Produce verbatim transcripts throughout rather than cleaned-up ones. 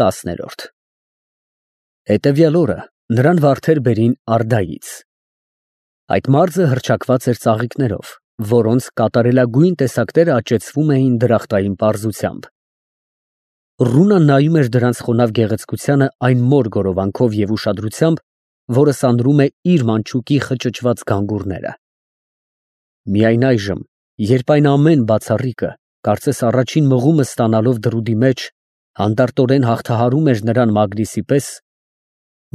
Տասներորդ Հետևյալ օրը նրան վարդեր բերին Արդայից։ Այդ մարդը հռչակված էր ծաղիկներով, որոնց կատարելագույն տեսակները աճեցվում էին դրախտային պարզությամբ։ Ռունան նայում էր դրանց խոնավ գեղեցկությանը այն մոր գորովանքով և ուշադրությամբ, որը սանրում է իր մանչուկի խճճված գանգուրները։ Միայն այժմ, երբ այն ամեն բացառիկը, կարծես առաջին մղումը ստանալով դրուդի մեջ, հանդարտորեն հաղթահարում էր նրան Մագնիսի պես,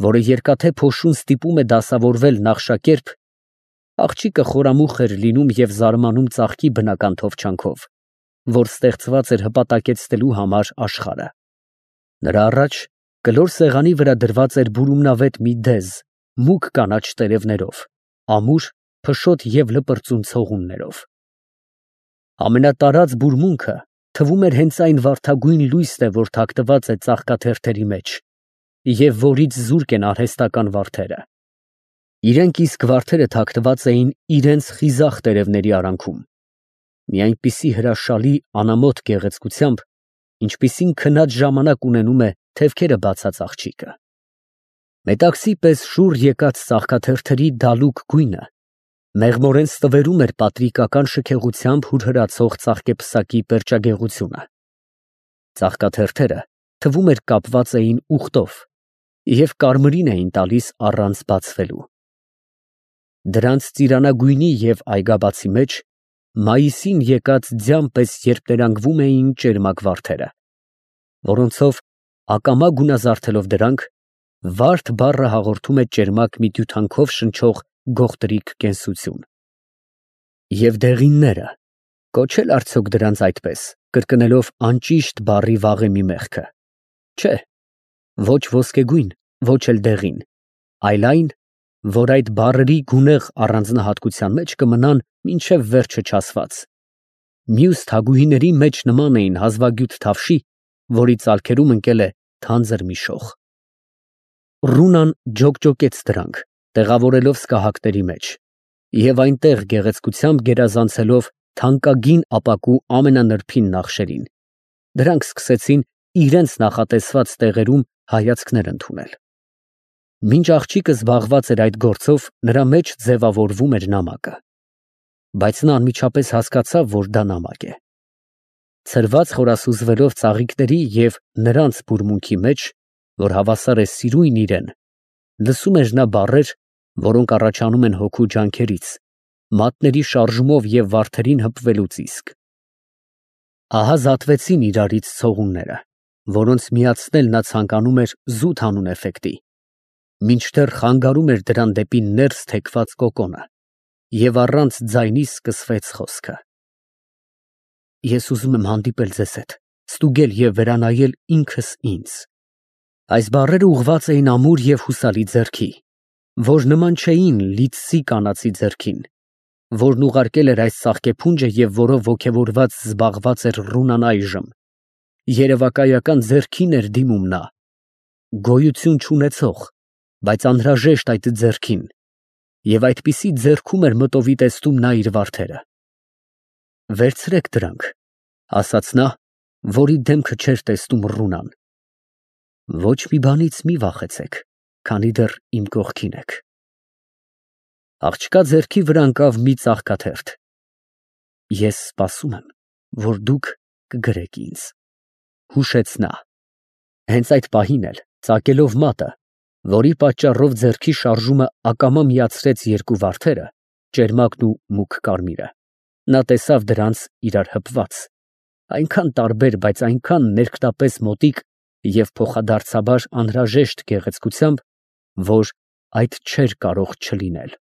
որը երկաթե փոշուն ստիպում է դասավորվել նախշակերպ, աղջիկը խորամուխ էր լինում և զարմանում ծաղկի բնական թովչանքով, որ ստեղծված էր հպատակեցնելու համար աշխարհը։ Նրա առաջ կլոր սեղանի վրա դրված էր բուրումնավետ մի դեզ, մուգ կանաչ տերևներով, ամուր, փշոտ և լպրծուն ցողուններով։ Ամենատարած բուրմունքը թվում էր հենց այն վարդագույն լույսն է, որ թաքնված է ծաղկաթերթերի մեջ, և որից զուրկ են արհեստական վարդերը։ Իրենք իսկ վարդերը թաքնված էին իրենց խիզախ տերևների արանքում, մի այնպիսի հրաշալի անամոթ գեղեցկությամբ, ինչպիսին քնած ժամանակ ունենում է թևքերը բացած աղջիկը։ Մետաքսի պես շուռ եկած ծաղկաթերթերի դալուկ գույնը մեղմորեն ստվերում էր պատրիկական շքեղությամբ հուրհրացող ծաղկեփսակի պերճագեղությունը։ Ծաղկաթերթերը թվում էր կապված էին ուղտով և կարմիրին էին տալիս առանց բացվելու։ Դրանց ծիրանագույնի և այգաբացի մեջ մայիսին եկած ձյան պես երպներանգվում էին ճերմակ վարդերը, որոնցով ակամա գունազարդելով դրանք, վարդ բառը հաղորդում է ճերմակ մի տյութանքով շնչող գողտրիկ կենսություն։ Եվ դեղինները, կոչե՞լ արդյոք դրանց այդպես, կրկնելով անճիշտ բառի վաղեմի մեղքը։ Չէ, ոչ ոսկեգույն, ոչ էլ դեղին, այլ այն, որ այդ բառերի գունեղ առանձնահատկության մեջ կմնան մինչև վերջը չասված։ Մյուս թագուհիների մեջ նման էին հազվագյուտ թավշի, որի ծալքերում ընկել է թանձր մի շող։ Ռունան ջոկջոկեց դրանք, տեղավորելով սկահակների մեջ, և այնտեղ գեղեցկությամբ գերազանցելով թանկագին ապակու ամենանրբին նախշերին, դրանք սկսեցին իրենց նախատեսված տեղերում հայացքներ ընդունել։ Մինչ աղջիկը զբաղված էր այդ գործով, նրա մեջ ձևավորվում էր նամակը, բայց նա անմիջապես հասկացավ, որ դա նամակ է։ Ցրված խորասուզվելով ծաղիկների և նրանց բուրմունքի մեջ, որ հավասար է սիրույն իրեն, լսում էր նա բառեր, որոնք առաջանում են հոգու ջանքերից, մատների շարժումով և վարդերին հպվելուց իսկ։ Ահա զատվեցին իրարից ցողունները, որոնց միացնել նա ցանկանում էր զուտ հանուն էֆեկտի, մինչդեռ խանգարում էր դրան դեպի ներս թեքված կոկոնը, և առանց ձայնի սկսվեց խոսքը. «Ես ուզում եմ հանդիպել ձեզ հետ, ստուգել և վերանայել ինքս ինձ»։ Այս բառերը ուղղված էին ամուր և հուսալի ձեռքի, որ նման չէին լիցսի կանացի ձեռքին, որն ուղարկել էր այս ծաղկեփունջը և որով ոգևորված զբաղված էր Ռունան այժմ, երևակայական ձեռքին էր դիմում նա, գոյություն չունեցող, բայց անհրաժեշտ այդ ձեռքին, և այդպիսի ձեռքում էր մտովի տեսնում նա իր վարդերը։ «Վերցրեք դրանք», ասաց նա, որի դեմքը չէր տեսնում Ռունան։ «Ոչ մի բանից մի վախեցեք, քանի դեռ իմ կողքին եք»։ Աղջկա ձեռքի վրա ընկավ մի ծաղկաթերթ։ «Ես սպասում եմ, որ դուք կգրեք ինձ», հուշեց նա։ Հենց այդ պահին էլ, ծակելով մատը, որի պատճառով ձեռքի շարժումը ակամա միացրեց երկու վարդերը, ճերմակն ու մուգ կարմիրը, նա տեսավ դրանց իրար հպված, այնքան տարբեր, բայց այնքան ներքնապես մոտիկ և փոխադարձաբար անհրաժեշտ գեղեցկությամբ, որ այդ չէր կարող չլինել։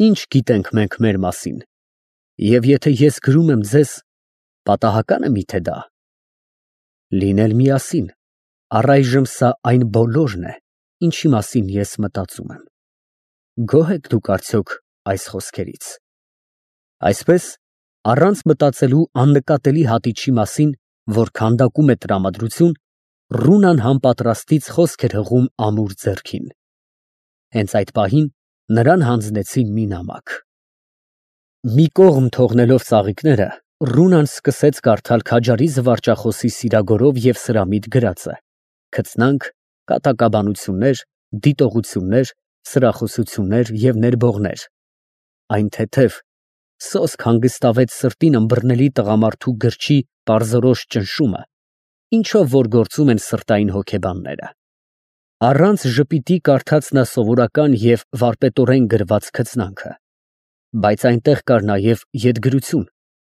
Ի՞նչ գիտենք մենք մեր մասին, և եթե ես գրում եմ ձեզ, պատահակա՞ն է միթե դա։ Լինել միասին, առայժմ սա այն բոլորն է, ինչի մասին ես մտածում եմ։ Գոհ եք դուք արդյոք այս խոսքերից։ Այսպես, առանց մտածելու աննկատելի հատիչի մասին, որ քանդակում է տրամադրություն, Ռունան համապատրաստից խոսք էր հղում ամուր ձեռքին։ Հենց այդ պահին նրան հանձնեցին մի նամակ։ Մի կողմ թողնելով ծաղիկները, Ռունան սկսեց կարդալ քաջարի զվարճախոսի սիրագորով և սրամիտ գրածը. քծնանք, կատակաբանություններ, դիտողություններ, սրախոսություններ և ներբողներ, այն թեթև, սոսկ հանգստավեց սրտին ըմբռնելի տղամարդու գրչի պարզորոշ ճնշումը, ինչով որ գործում են սրտային հոգեբանները։ Առանց ժպիտի կարդաց նա սովորական և վարպետորեն գրված քծնանքը, բայց այնտեղ կար նաև ետգրություն,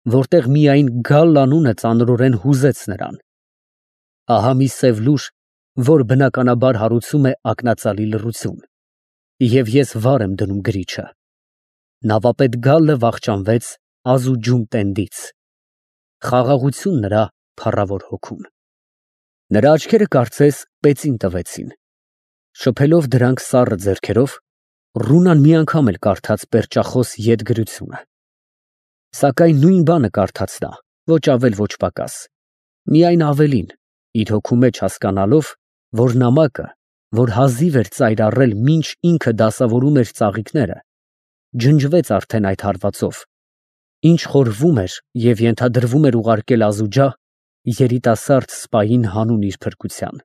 որտեղ միայն «գալ» անունը ծանրորեն հուզեց նրան։ Ահա մի սև լուր, որ բնականաբար հարուցում է ակնածալի լռություն, և ես վար եմ դնում գրիչը։ Նավապետ Գալը վախճանվեց ազուջում տենդից, խաղաղություն նրա փառավոր հոգուն։ Նրա աչքերը կարծես պեծին տվեցին։ Շփելով դրանք սառը ձեռքերով, Ռունան մի անգամ էլ կարդաց պերճախոս ետգրությունը։ Սակայն նույն բանը կարդաց նա, ոչ ավել, ոչ պակաս, միայն ավելին, իր հոգու մեջ հասկանալով, որ նամակը, որ հազիվ էր ծայր առել, մինչ ինքը դասավորում էր ծաղիկները, ջնջվեց արդեն այդ հարվածով, ինչ խորհվում էր և ենթադրվում էր ուղարկել Ազուջա երիտասարդ սպային հանուն իր փրկության։